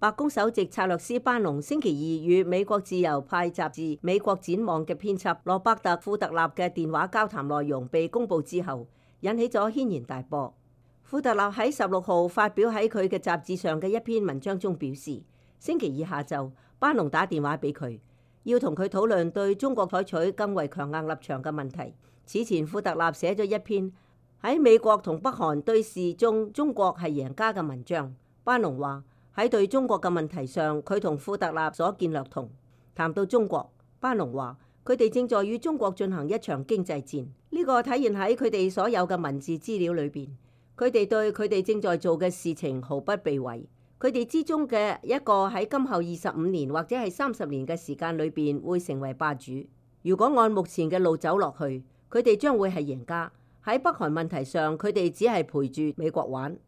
白宮首席策略師班農星期二與美國自由派雜誌《美國展望》嘅編輯羅伯特·庫特納嘅電話交談內容被公佈之後，引起咗軒然大波。庫特納喺16號發表喺佢嘅雜誌上嘅一篇文章中表示，星期二下晝，班農打電話俾佢，要同佢討論對中國採取更為強硬立場嘅問題。此前，庫特納寫咗一篇喺美國同北韓對峙中，中國係贏家嘅文章。班農話喺對中國嘅問題上，佢同庫特納所見略同。談到中國，班農話佢哋正在與中國進行一場經濟戰，呢個體現喺佢哋所有嘅文字資料裏邊。佢哋對佢哋正在做嘅事情毫不避諱。佢哋之中嘅一個喺今後25年或者係30年嘅時間裏邊會成為霸主。如果按目前嘅路走落去，佢哋將會係贏家。喺北韓問題上，佢哋只係陪住美國玩。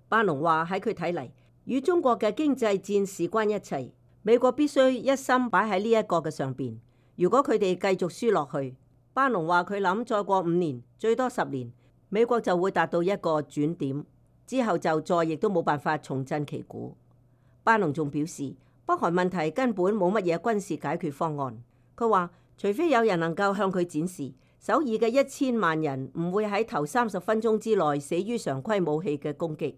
班農話喺佢睇嚟，與中國嘅經濟戰事關一切，美國必須一心擺喺呢一個嘅上邊。如果佢哋繼續輸落去，班農話佢諗再過5年，最多10年，美國就會達到一個轉點，之後就再亦都冇辦法重振旗鼓。班農仲表示，北韓問題根本冇乜嘢軍事解決方案。佢話，除非有人能夠向佢展示首爾嘅1000萬人唔會喺頭30分鐘之內死於常規武器嘅攻擊，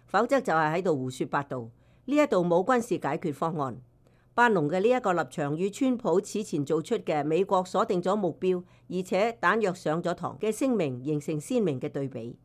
否則就係喺度胡說八道。呢一度冇軍事解決方案。班農嘅呢一個立場與川普此前做出嘅美國鎖定咗目標，而且彈藥上咗膛嘅聲明形成鮮明嘅對比。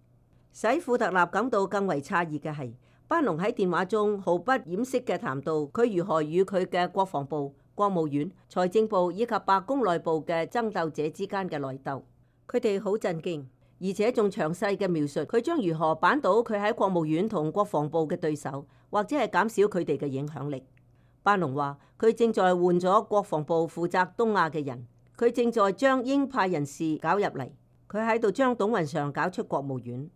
使庫特納感到更為詫異嘅係，班農喺電話中毫不掩飾嘅談到佢如何與佢嘅國防部、國務院、財政部以及白宮內部嘅爭鬥者之間嘅內鬥。佢哋好震驚，而且仲詳細嘅描述佢將如何扳倒佢喺國務院同國防部嘅對手，或者係減少佢哋嘅影響力。班農話佢正在換咗國防部負責東亞嘅人，佢正在將鷹派人士搞入嚟，佢喺度將董雲常搞出國務院。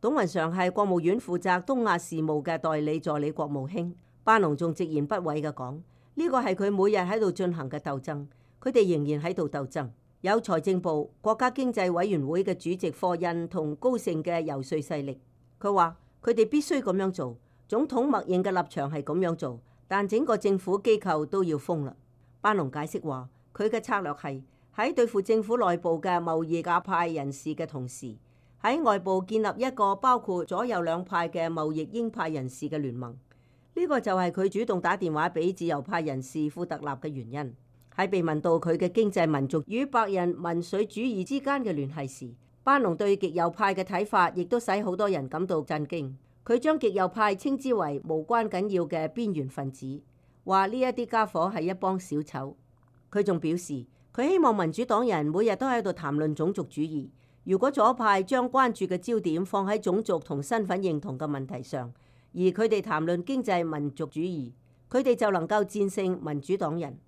董雲常係國務院負責東亞事務嘅代理助理國務卿。班農仲直言不諱嘅講，呢個係佢每日喺度進行嘅鬥爭，佢哋仍然喺度鬥爭。有財政部、國家經濟委員會嘅主席霍印同高盛嘅游說勢力。佢話佢哋必須咁樣做，總統默認嘅立場係咁樣做，但整個政府機構都要封啦。班農解釋話，佢嘅策略係喺對付政府內部嘅貿易鴿派人士嘅同時，喺外部建立一個包括左右兩派嘅貿易鷹派人士嘅聯盟。呢個就係佢主動打電話俾自由派人士庫特納嘅原因。喺被問到佢嘅經濟民族與白人民粹主義之間嘅聯繫時，班農對極右派嘅睇法亦都使好多人感到震驚。佢將極右派稱之為無關緊要嘅邊緣分子，話呢一啲家伙係一幫小丑。佢仲表示，佢希望民主黨人每日都喺度談論種族主義。如果左派將關注嘅焦點放喺種族同身份認同嘅問題上，而佢哋談論經濟民族主義，佢哋就能夠戰勝民主黨人。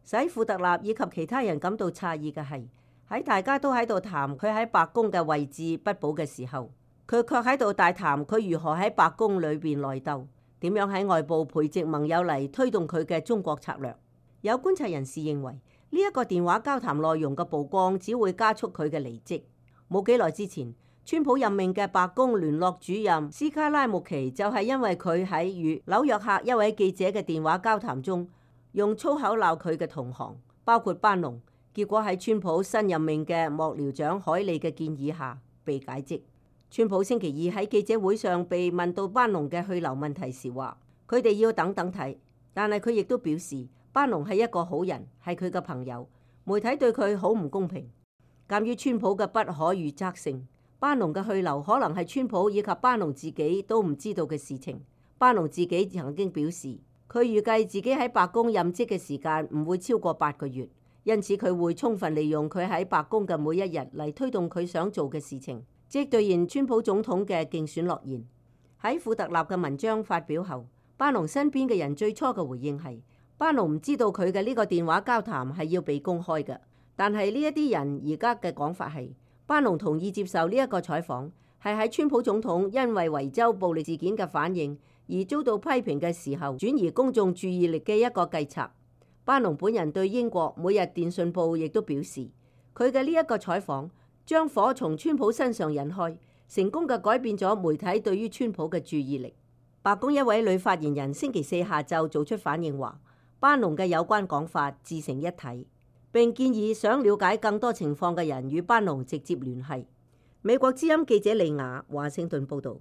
使庫特納以及其他人感到詫異嘅係，喺大家都喺度談佢喺白宮嘅位置不保嘅時候，佢卻喺度大談佢如何喺白宮裏邊內鬥，點樣喺外部培植盟友嚟推動佢嘅中國策略。有觀察人士認為，呢一個電話交談內容嘅曝光只會加速佢嘅離職。冇幾耐之前，川普任命嘅白宮聯絡主任斯卡拉木奇就係因為佢喺與紐約客一位記者嘅電話交談中用粗口鬧佢嘅同行，包括班農，結果喺川普新任命嘅幕僚長海利嘅建議下被解職。川普星期二喺記者會上被問到班農嘅去留問題時話，佢哋要等等睇，但係佢亦都表示班農係一個好人，係佢嘅朋友，媒體對佢好唔公平。鑑於川普嘅不可預測性，班農嘅去留可能係川普以及班農自己都唔知道嘅事情。班農自己曾經表示，佢預計自己喺白宮任職嘅時間唔會超過8個月，因此佢會充分利用佢喺白宮嘅每一日嚟推動佢想做嘅事情，即兌現川普總統嘅競選諾言。喺庫特納嘅文章發表後，班農身邊嘅人最初嘅回應係，班農唔知道佢嘅呢個電話交談係要被公開嘅。但係呢一啲人而家嘅講法係，班農同意接受呢一個採訪，係喺川普總統因為維州暴力事件嘅反應而遭到批評嘅時候，轉移公眾注意力嘅一個計策。班農本人對英國每日電訊報亦都表示，佢嘅呢一個採訪將火從川普身上引開，成功嘅改變咗媒體對於川普嘅注意力。白宮一位女發言人星期四下晝做出反應話，班農嘅有關講法自成一體，並建議想了解更多情況嘅人與班農直接聯繫。美國之音記者利亞華盛頓報導。